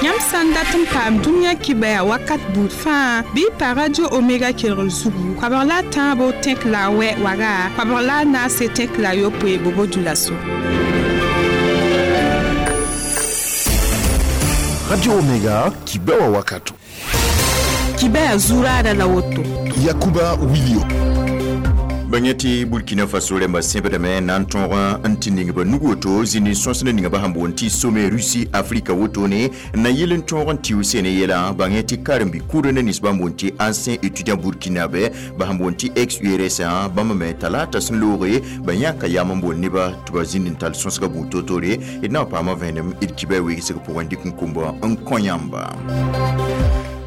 Yãmb sã n dat n paam dũniyã kibaya wakat buud fãa bɩ y pa Radio Omega kelgr zugu koabg la a tãabo tẽk la a wɛ waga koabg la a naase tẽk la a yopoe bobo dulaso. Radio Omega kibewa wakato. Kibaya zuraada la woto. Yakuba Wilio. Bãng tɩ Burkina Faso rẽmba sẽbdame na n tõog n tɩ ning ba nug woto zĩnd n sõsd ninga ba sẽn boond tɩ Sommet Russie Afrika wotone n na yɩl n tõog n tɩ sene yɛla. Bãng tɩ karen-bi-kʋʋd ne nins bãmb boond tɩ ancien étudiant burkinabé ba sẽn boond tɩ ex URSA bãmb me talata sẽn looge ba yãka yam n boond neba tɩ ba zĩnd n tall sõsga buud toor-toore d na n paama vẽenem d kiba weegsg pʋgẽ dɩk n kũmba n kõ yãmba.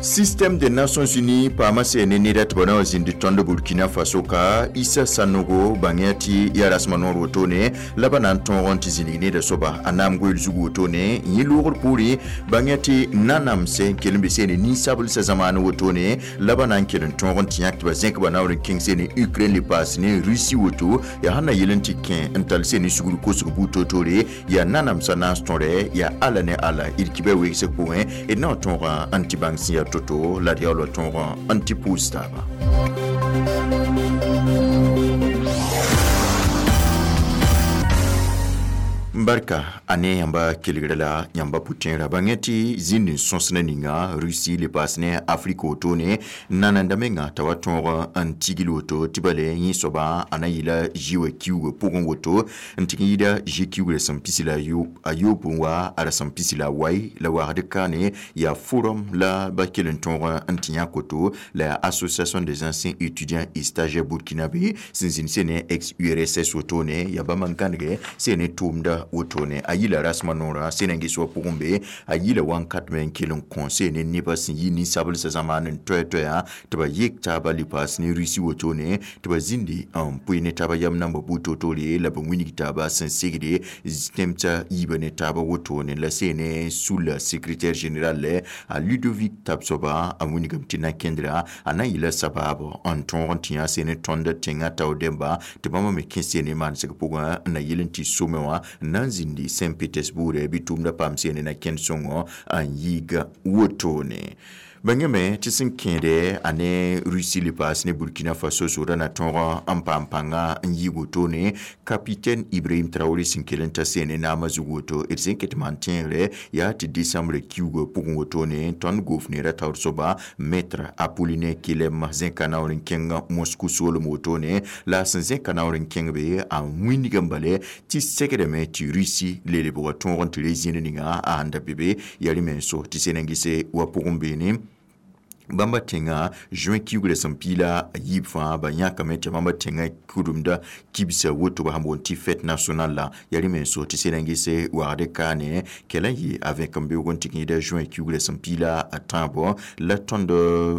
Système des Nations Unies paama sene neda tɩ ba na wa zĩnd tõnd Burkina Faso ka Issa Sanogo bãng tɩ yaa rasmã noor wotone la ba na n tõog n tɩ zĩnig neda soaba a naam goeel zug wotone yẽ loogr poorẽ bãng tɩ nanamsɛ n kell n be sene nin-sablsã zãmaan wotone la ba na n kell n tõog n tɩ yãk tɩ ba zẽk ba naoor n kẽng sene Ukraine le paas ne Russie woto yaa sẽn na yel n tɩ kẽ n tall sene sugr kosg buud toor-toore yaa nanamsã naas tõre yaa ala ne ala d kiba weegsg pʋgẽ d na n tõoga n tɩ bãng sẽn yaa toto la d yaool tõog n tɩ pʋʋs taaba. Barka ane yãmba kelgrã la yãmba pʋ-tẽerã bãng tɩ zĩnd n sõsd ninga Russie le paas ne Afrika wotone nananda menga t'a wa tõog n tigl woto tɩ bale yẽ soaba a na yɩla zi wã kiuugã pʋgẽ woto n tɩg n yɩɩda zi kiugrã sẽn pisi la a yob n wa a rasem pisi la a wai la wagd kaane yaa forum la ba kell n tõog n tɩ yãk woto la yaa association des anciens étudiants et stagiaires burkinabé sẽn zĩnd sene ex URSS wotone yaa bãmb n gãnege sene tʋʋmda wotone a yila rasmã noorã sẽn n ges wa pʋgẽ be a yila wãnkat me n kell n kõ sene nebã sẽn yi nin-sablsã zãmaan n toɛ-toɛyã tɩ ba yek taaba le paas ne Russie wotone tɩ ba zĩndi n pʋɩ ne taaba yam namba buud toor-toore la ba wilg taaba sẽn segde tẽmsã yiibã ne taaba wotone la sene sula secrétaire général a Ludovic Tabsoba a wilgame tɩ na-kẽndra a na n yɩla sabaab n tõog n tɩ yã sene tõnd tẽngã tao dẽmba tɩ bãmba me kẽ sene maansg pʋgẽ n na yɩl n tɩ some wã n na n zĩndi Saint-Pétersbourg bɩ tʋʋmdã paam sene na kẽnd sõngo n yiiga wotone. Bãng me tɩ sẽn kẽede a ne Russie le paas ne Burkina Faso zʋʋdã na tõog n paam pãnga n yɩ wotone capitaine Ibrahim Traoré sẽn kell n ta sene naamã zug woto d sẽn ket maan tẽegre yaa tɩ décembre kiuugã pʋgẽ wotone tõnd goofneerã taoor soaba maître Apollinaire Kelem zẽka naoor n kẽng Moscou soolem wotone la sẽn zẽka naoor n kẽng be a wĩnigã bale tɩ segdame tɩ Russie le lebga tõog n tɩ re zĩnd ninga a sẽn da be be yaa rẽ menso tɩ sẽn n gese wa pʋgẽ beene bãmba tẽngã juin kiugrã sẽn piila a yiib fãa ba yãkame tɩ bãmba tẽngã kʋdemda kibsa woto ba sẽn boond tɩ fête nationale la yaa rẽ menso tɩ sẽn n gese wagd kaane kɛla n yɩ a vẽk n beoog n tɩg n yɩɩda juin kiugrã sẽn piila a tãabo la tõnd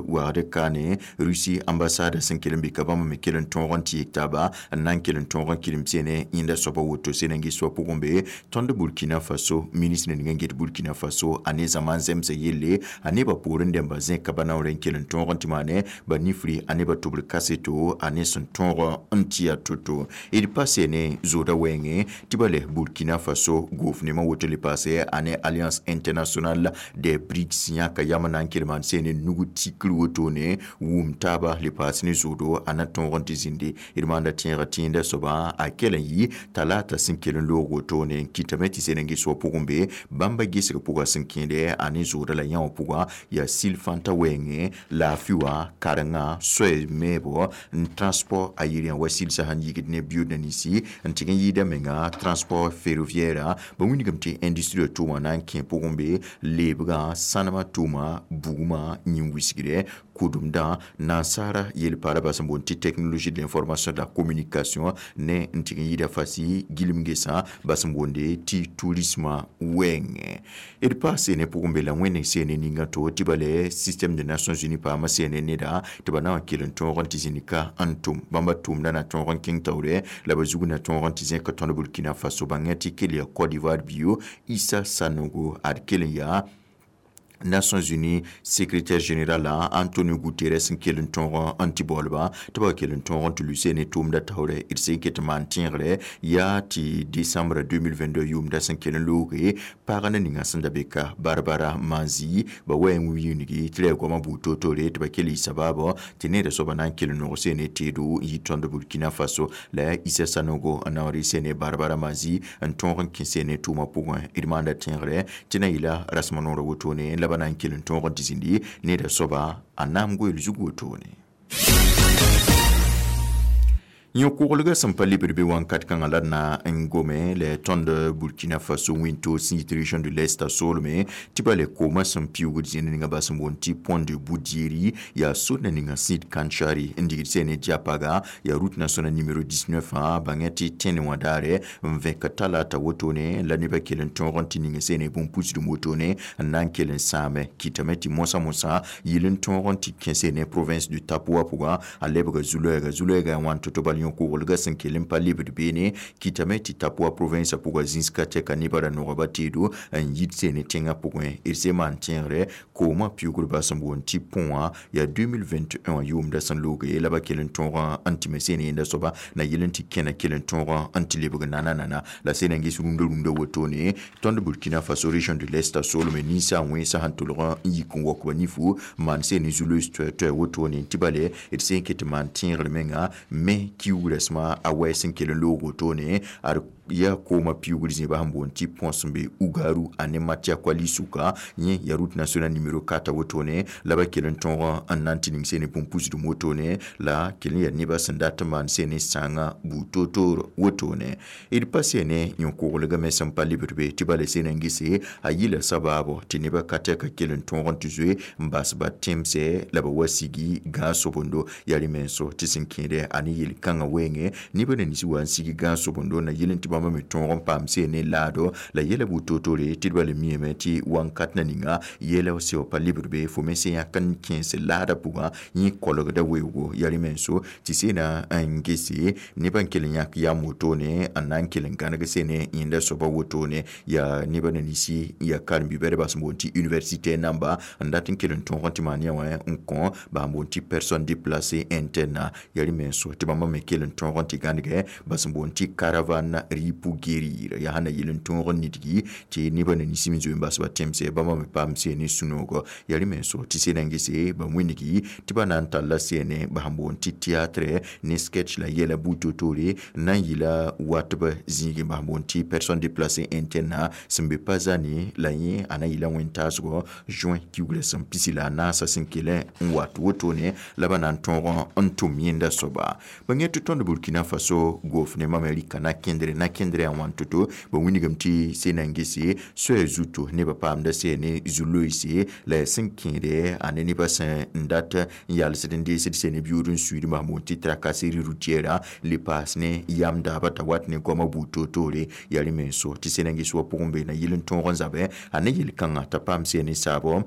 wagd kaane Russie ambassade sẽn kell n be ka bãmb me kell n tõog n tɩ yek taaba n na n kell n tõog n kɩrem sene yẽnda soaba woto sẽn n ges wa pʋgẽ be tõnd Burkina Faso ministre ning n get Burkina Faso a ne zãma n zemsa yelle a nebã poorẽ dẽmba zẽka ba naoor n kell n tõog n tɩ maane ba nifri a nebã tʋbr kaseto a ne sẽn tõog n tɩ yaa to-to d pa sene zooda wɛɛngẽ tɩ ba le Burkina Faso goof nemã woto le paase a ne Alliance internationale des BRICS yãka yam na n kell maan sene nug tikr wotone wum taaba le paas ne zoodo a na tõog n tɩ zĩndi d maanda tẽegã tẽenda soaba a kell n yɩ talata sẽn kell n loog wotone n kɩtame tɩ sẽn n ges wa pʋgẽ be bãmba gesg pʋga sẽn kẽede a ne zooda la yã wã pʋga yaa sil fãnta wɛɛngẽ laafɩ wã karenga soɛ meebo n transport aérien wa silsã sẽn yigd ne biud ninsi n tɩg n yɩɩda menga transport ferroviaire ba wilgame tɩ industrie tʋʋma na n kẽ pʋgẽ be leebgã sãnemã tʋʋma bugmã yĩn-wisgre kʋdemdã nansaara yel-paala ba sẽn boond tɩ technologie de l'information de la communication ne n tɩg n yɩɩda fasi gilem gesã ba sẽn boonde tɩ tourisme wɛɛngẽ d pa sene pʋgẽ be la wẽneg sene ninga to tɩ ba le système des Nations Unies paama sene neda tɩ ba na n kell n tõog n tɩ zĩnd ka n tʋm bãmba tʋʋmdã na tõog n kẽng taoore la ba zug na tõog n tɩ zẽk tõnd Burkina Faso bãng tɩ kell yaa Côte d'Ivoire bio Issa Sanogo ad kell n yaa Nations Unies secrétaire général Antonio Guterres n kell n tõog n tɩ baoolba tɩ ba kell n tõog n tɩ luse ne tʋʋmda taoore d sẽn ket n maan tẽegre yaa tɩ décembre 2022 yʋʋmda sẽn kell n looge pag na ninga sẽn da be ka Barbara Manzi ba wa n wilgi tɩ ra goamã buud toor-toore tɩ ba kell y sabaabɔ tɩ needa soaba na n kell n nog sene teedo n yi tõnd Burkina Faso la yaa Issa Sanogo n naoor sene Barbara Manzi n tõog n kẽ sene tʋʋmã pʋgẽ. D maanda tẽegre tɩ na yɩla rasem noorã wotone la ba na n kell n tõog n tɩ zĩndi needa soaba a naam goeel zug wotone. Yõ-koglgã sẽn pa lebd be wãnkat kãngã la d na n gome la tõnd Burkina Faso wĩntoog sẽn yit région de l'Est a soolme tɩ ba le koomã sẽn piʋʋgd zĩnd ninga ba sẽn boond tɩ pont de Boudieri yaa sor na ninga sẽn yit Kantchari n digd sẽn ne Diapaga yaa route nationale numéro 19 wã bãngẽ tɩ tẽne wã daare n vẽk talata wotone la nebã kell n tõog n tɩ ning sẽn ne bũn-pusdem wotone n na n kell n sãame kɩtame tɩ mosã-mosã yɩl n tõog n tɩ kẽ sẽn ne province du Tapoa pʋgã a lebga zu-loɛɛga zu-loɛɛga yaa wãn to-to bal yõ-koglgã sẽn kell n pa lebd beene kɩtame tɩ Tapoa province pʋgã zĩiska tɛka nebã ra nogba teedo n yit sene tẽngã pʋgẽ. D sẽn maan tẽegre koomã piʋʋgdbã sẽn boond tɩ pont wã yaa 2021 wã yʋʋmda sẽn looge la ba kell n tõog n tɩ me sene yẽnda soaba na yɩl n tɩ kẽna kell n tõog n tɩ lebg nana-nana la sẽn na n ges rũndã wotone tõnd Burkina Faso région de l'Est a soolme ninsã wẽnsã sẽn tʋlg n yik n waok ba nifu maan sene zu-loees toɛ-toɛ wotone tɩ bale d sẽn ket maan tẽegr menga me kiugrã a wɛɛ sẽn kell n loog wotone ad yaa koomã piʋʋgd zẽba sẽn boond tɩ pont sẽn be Ugaru ane Matiakwali sʋka yẽ yaa route nationale numéro 4 wotone la ba kell n tõog n na n tɩ ning sene bũn-pusdem wotone la kell n yaa nebã sẽn dat n maan sene sãangã buud toor-toor wotone. D pa sene yõ-koglgã me sẽn pa lebd be tɩ bala sẽn n gese a yɩla sabaabo tɩ nebã ka tɛka kell n tõog n tɩ zoe n bas ba tẽmsɛ la ba wa sigi gãag-sobondo yaa rẽ menso tɩ sẽn kẽede a ne yel-kãngã wɛɛngẽ nebã na nins wa n sig gãag-sobondo na yɩl n tɩ bãmba me tõog n paam sene laado la yɛla buud toor-toore tɩ d bala miame tɩ wãnkat na ninga yɛla sɛo pa lebd be fo me sẽn yãk n kẽes laadã pʋgã yẽ kolgda weoogo yaa rẽ menso tɩ sena n gese nebã n kell n yãk yam wotone n na n kell n gãneg sene yẽnda soaba wotone yaa nebã na ninsi yaa karen-bi-bɛdbã sẽn boond tɩ université namba n dat n kell n tõog n tɩ maan yã wã n kõ ba sẽn boond tɩ personne déplacée interne yaa rẽ menso tɩ bãmba me kell n tõog n tɩ gãnegɛ ba sẽn boond tɩ caravane riz pour guérir yaa sẽn na yɩl n tõog n nidgi tɩ nebã na ninsi n zoe n bas ba tẽmsɛ bãmba me paam sene sũ-noogo yaa rẽ menso tɩ sena n gese ba wĩnigi tɩ ba na n talla sene ba sẽn boond tɩ théâtre ne sketch la yɛla buud toor-toore n na n yɩla watb zĩigẽ ba sẽn boond tɩ personne déplacée interne sẽn be pa zane la yẽ a na yɩla wẽn-taasgɔ juin kiugrã sẽn pisi la a naasã sẽn kell n wat wotone la ba na n tõog n tʋm yẽnda soaba. Ba yẽ tɩ tõnd Burkina Faso gofnemã me rɩka na kẽndre a wãn to-to ba wĩnigame tɩ sẽn na n gese soɛɛ zuto nebã paamda sene zu-loeese la sẽn kẽede a ne nebã sẽn n dat n yalsd n deesd sene biʋʋd n suiid sẽn boond tɩ tracasserie routière le paas ne yam daabã t'a wat ne goamã buud toor-toore yaa rẽ menso tɩ sẽn na n ges wa pʋgẽ be na yɩl n tõog n zabɛ a ne yel-kãngã t'a paam sene saabɔ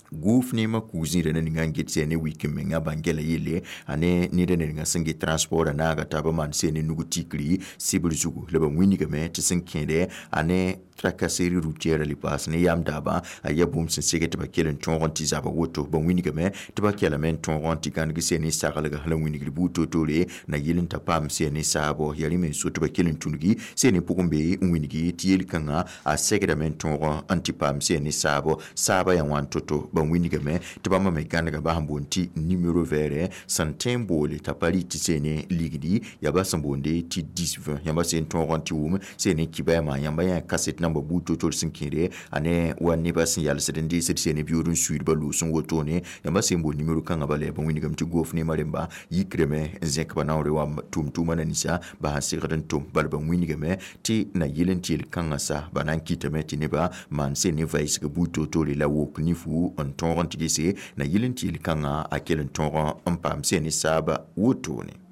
gofnemã kug-zĩirã na ninga n get sene wik n menga bãn-gɛla yelle a ne ned n ninga sẽn get transport a naaga taabã maan sene nug tikri sɩbr zugu la ba wĩnigame tɩ sẽn kẽede a ne tracasserie routière le paas ne yam daabã a yaa bũmb sẽn seg tɩ ba kell n tõog n tɩ zaba woto ba wĩnigame tɩ ba kelame n tõog n tɩ gãneg sene saglga la wĩnigd buud toor-toore na yɩl n ta paam sene saabo yaa rẽ menso tɩ ba kell n tũngi sene pʋgẽ be n wĩnigi tɩ yel-kãngã a segdame n tõog n tɩ paam sene saabo saabã yaa wãn to-to ba wĩnigame tɩ bãmba me gãnega ba sẽn boond tɩ numéro vert sẽn tõe n boole t'a pa rɩ tɩ sene ligdi yaa ba sẽn boonde tɩ 10 20 yãmba sẽn tõog n tɩ wʋm sene kibɛɛmã yãmba yã kaset namba buud toor-toor sẽn kẽede a ne wa nebã sẽn yalsd n deesd sene biʋʋd n suiid ba loos n wotone yãmba sẽn boond numéro kãngã bala ba wĩnigame tɩ gofnemã rẽmba yikrame n zẽk ba naoore wa tʋm-tʋʋmã na ninsã ba sẽn segd n tʋm bala ba wĩnigame tɩ na yɩl n tɩ yel-kãngã sa ba na n kɩtame tɩ nebã maan sene vaɩsg buud toor-toore la wok nifu n tõog n tɩ gese na yɩl n tɩ yel-kãngã a kell n tõog n paam sene saaba wotone.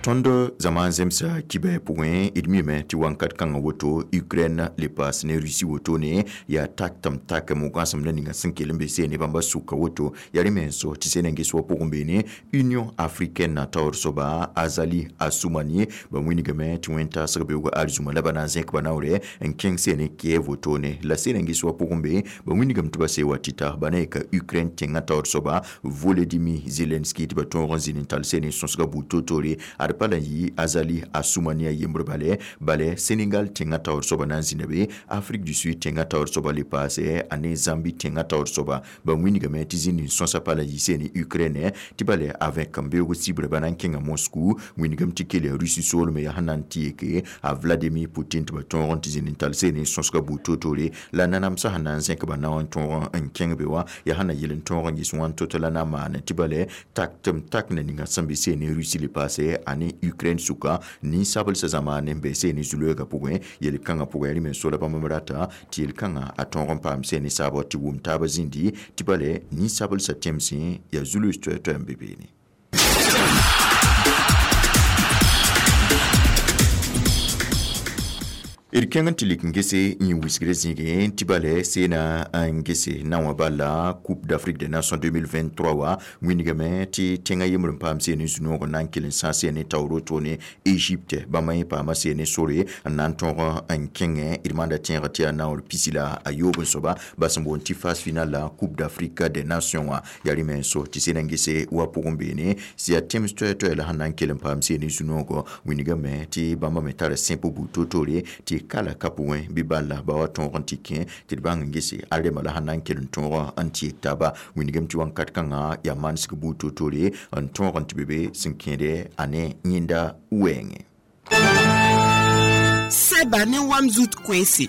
Tõnd zãma n zemsa kibɛ pʋgẽ d mime tɩ wãnkat kãngã woto Ukraine le paas ne Russie wotone yaa tak tɩ m tak mo-gãsemdã ninga sẽn kell n be seene bãmba sʋka woto yaa rẽ menso tɩ sẽn n ges wa pʋgẽ beene Union africaine taoor soaba Azali Assoumani ba wĩnigame tɩ wẽn-taasg beoog arzũma la ba na n zẽk ba naoore n kẽng seene Kiev wotone la sẽn n ges wa pʋgẽ be ba wĩnigame tɩ ba see wa tɩta ba na yeka Ukraine tẽngã taoor soaba Volodymyr Zelensky tɩ ba tõog n zĩnd n tall seene sõsga buud toor-toore ad pa la yɩ Azali Assoumani a yembr bale bale Sénégal tẽngã taoor soaba na n zĩnda be Afrique du Sud tẽngã taoor soaba le paase ane Zambie tẽngã taoor soaba ba wĩnigame tɩ zĩnd n sõsa pa la yɩ seene Ukraine tɩ bale avec n beoog sibra ba na n kẽnga Moscou wĩnigame tɩ kell Russie soolme yaa sẽn na n tɩ yeke a Vladimir Poutine tɩ ba tõog n tɩ zĩnd n tall seene sõsga buud toor-toore la nanamsã sẽn na n zẽk ba nao n tõog n kẽng be wã yaa sẽn na yel n tõog n ges wãn to-to la na n maan tɩ bale tak tɩ m tak na ninga sẽn be seene Russie le paase ane Ukraine sʋka ninsabelsa zamaane n be seene zu-loeegã pʋgẽ yel-kãngã pʋgẽ rẽ me so la bãmb m rata tɩ yel-kãngã a tõog n paam seene saabg tɩ wʋm taabã zĩndi tɩ bale ninsabelsa tẽmsẽ yaa zu-loees toɛ-toɛ n be beene. D kẽng n tɩ lik n gese yẽ wisgrã zĩigẽ tɩ bale seena n gese na wã bala Coupe d'Afrique des Nations 2023 wa wĩnigame tɩ tẽngã yembr n paam seene zu-noog n na n kell n sãas seene taoor wotone Égypte bãmba yẽ paama seene sore n na n tõog n kẽngẽ d maanda tẽegr tɩ yaa naoor pisi la a yoob n soaba bas n boond tɩ phase finale la Coupe d'Afrique des Nations wã yaa rẽ me n so tɩ seena n gese wa pʋgẽ beene sɩ yaa tẽms toɛ-toɛ la sẽn na n kell n paam seene zu-noogɔ wĩnigame tɩ bãmba me tara sẽp buud toor-toore tɩ kala ka pʋgẽ bɩ bala ba wa tõog n tɩ kẽ tɩ d bãng n gese a rema la sẽn na n kell n tõog n tɩ taaba wĩnigame tɩ wãnkat kãngã yaa manesg buud toor-toore n tõog n tɩ be be sẽn kẽede a ne yẽnda wɛɛngẽ. Sɛba ne wam zut koɛɛse.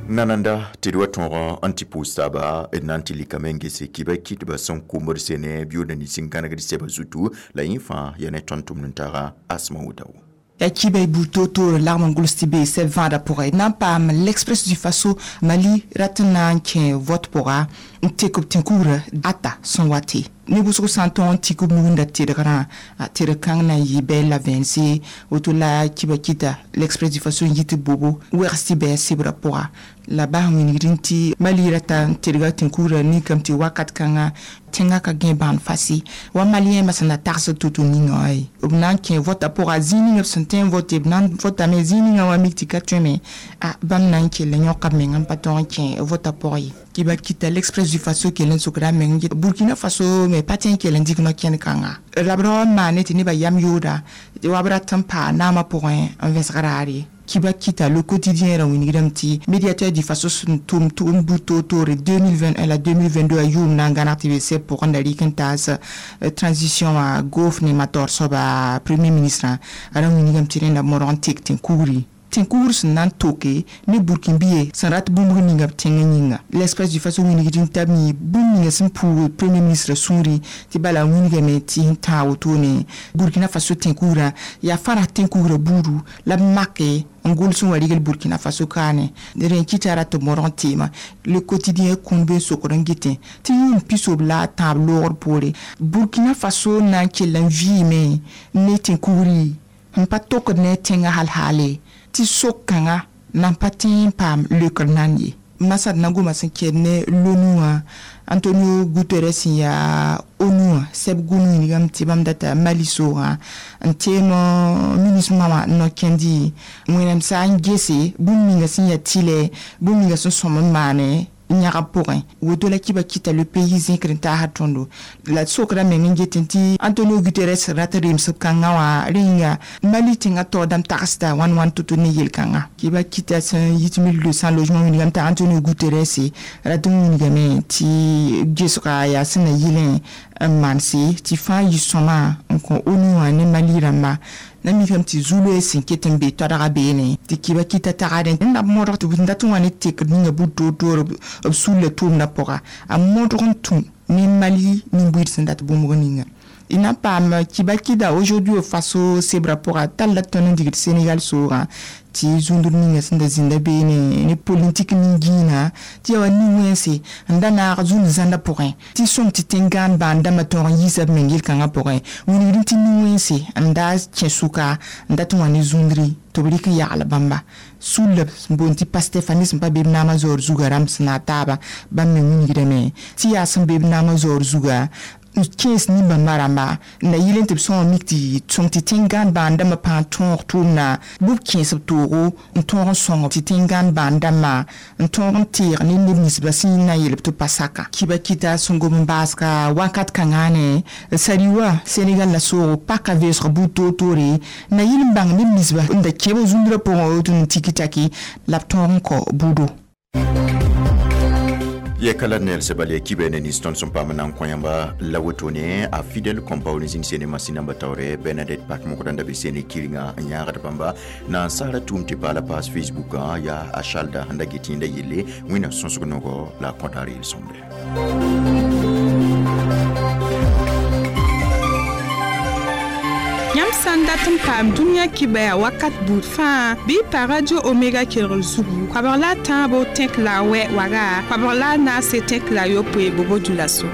Nananda tɩ d wa tõog n tɩ pʋʋs taaba d na n tɩ likame n gese kɩba kɩtba sẽn komd sene bɩʋʋda nins n gãnegd sɛba zutu la yẽ fãa yaa ne tõnd tʋmd n taaga Asma Wodao. Ya kibɛ bu toor-toore lagm n gʋls tɩ bee sɛb vãadã pʋgẽ na n paam l'Express du Faso Mali rat n na n kẽ vote pʋga n tek b tẽn-kugrã ata sẽn wate ne wʋsg sã n tõog n tik b nugunda tedgrã a tedg kãng na n yɩ bɛɛl la vẽense woto la kiba kɩta l'Express du Faso n yit bobo wegs tɩ bɛɛ sebrã pʋga la bas wĩnigd n tɩ Mali rata n tedga tẽn-kugrã ninkame tɩ wakat kãngã tẽngã ka gẽ bãan fasi wa malien sẽn na tagsd to-to ninga wã ye b na n kẽ votã pʋga zĩig ninga b sẽn tõe n vote b na n votame zĩig ninga wã mik tɩ ka tõe me a bãmb na n kell n yõka b meng n pa tõog n kẽ votã pʋg ye. Kiba kɩta l'Express du Faso kell n sokda a meng Burkina Faso me pa tõe n kell n dɩk no-kẽnd kãnga la b ra wa n maane tɩ nebã yam yooda wa b rat n paa naamã pʋgẽ n vẽsg raar ye. Kiba kita le quotidien ra wĩnigdame tɩ médiateur du Faso sẽn tʋm tʋʋm buud toor-toore 2021 la 2022 a yʋʋm na n gãneg tɩ be sɛb pʋgẽ la rɩk n taas transition wã gofnemã taoor soaba premier ministre a ra wĩnigame tɩ rẽnda modg n tek tẽn-kugri tẽn-kugr sẽn na n toke ne burkinbiye sẽn rat bũmb ninga b tẽngã yĩnga. l'Express du Faso wĩnigd n tab yĩ bũmb ninga sẽn puug premier ministre sũuri tɩ bala wĩnigame tɩ n tãag wotone Burkina Faso tẽn-kugrã yaa fãra tẽn-kugrã buudu la b make n gʋls n wa rigl Burkina Faso kaane rẽ kɩta rat b modg n teema le quotidien kũud be n sokd n getẽ tɩ yʋʋm pisob la a tãab loogr poore Burkina Faso na n kell n vɩɩme ne tẽn-kugri n pa tokd ne tẽngã hal-haale tɩ sok-kãngã na n pa tẽ n paam leokr nan ye. Masad na goma sẽn kɛd ne l'ONU wã Antonio Guterres sẽn yaa ONU wã sɛb gũn wĩnigame tɩ bãmb data Mali soogã n teem ministre wã n no-kẽndi wẽnnaam sã n gese bũmb ninga sẽn yaa tɩlɛ bũmb ninga sẽn sõm n maane yãgb pʋgẽ woto la kiba kɩta le pays zẽkr n taasd tõndo la sokra meng n getẽ tɩ Antonio Guterres rat remsb kãngã wã rẽ yĩnga Mali tẽngã taoor dãmb tagsda wãn wãn to-to ne yel-kãngã kiba kɩta sẽn yit 1200 logement wĩnigame t'a Antonio Guterres rat n wĩnigame tɩ gesga yaa sẽn na yɩlẽ n maanse tɩ fãa yɩ sõma n kõ ONU wã ne Mali rãmba na mikame tɩ zu-loees sẽn ket n be toadga beene tɩ kiba kɩta tagadẽ n na b modg tɩ b dat n wa ne tekd ninga buud toor-toor b sulla tʋʋmdã pʋga a modg n tũ Ne Mali nin-buiid sẽn dat bũmb ninga y na n paam kiba kida aujourd'hui au Faso sebra pʋga talla tõnd n digd Sénégal soogã tɩ zũndr ninga sẽn da zĩnda beene ne politik nin-gĩinã tɩ yaa wa nin-wẽnse n da naag zũnd zãnda pʋgẽ tɩ sõng tɩ tẽn-gãan bãan dãmbã tõog n yiisa b meng yel-kãngã pʋgẽ wilgdẽ tɩ nin-wẽnse n da kẽ sʋka n dat n wa ne zũndri tɩ b rɩk n yagl bãmba sulla sẽn boond tɩ Pastef a ne sẽn pa be b naamã zaoor zuga rãmb sẽn na taaba bãmb me wilgdame tɩ yaa sẽn be b naamã zaoor zuga n kẽes nin-bãmba rãmba n da yɩl n tɩ b sõma mik tɩ sõng tɩ tẽn-gãan bãan dãmbã pãag tõog tʋʋmna bɩ b kẽes b toogo n tõog n sõng tɩ tẽn-gãan bãan dãmbã n tõog n teeg ne neb ninsbã sẽn na n yeel b tɩ pa saka kiba kɩta sẽn gom n baasga wakat kãngã ne sariwa Senegal la soogo paka vɛɛsg buud toor-toore na yɩl n bãng neb ninsba n da kẽb zũndrã pʋgẽ woto n tiki taki la b tõog n kao buudo. Ye kala nel sebali kibe ne ni ston som pam nan koyamba la wotone a Fidel Compaoré zin sene masina batawre Bernadette Pak mo kodanda be sene kiringa nyaga bamba na sara tum te pala page Facebook ya a shalda handa gitinda yele wina sonsgo la kontari il sombre. Yãmb sã n dat n paam dũniyã kibaya wakat buud fãa bɩ y pa Radio Omega kelgr zugu koabg la a tãabo tẽk la a wɛ waga koabg la a naase tẽk la a yopoe bobo djulaso.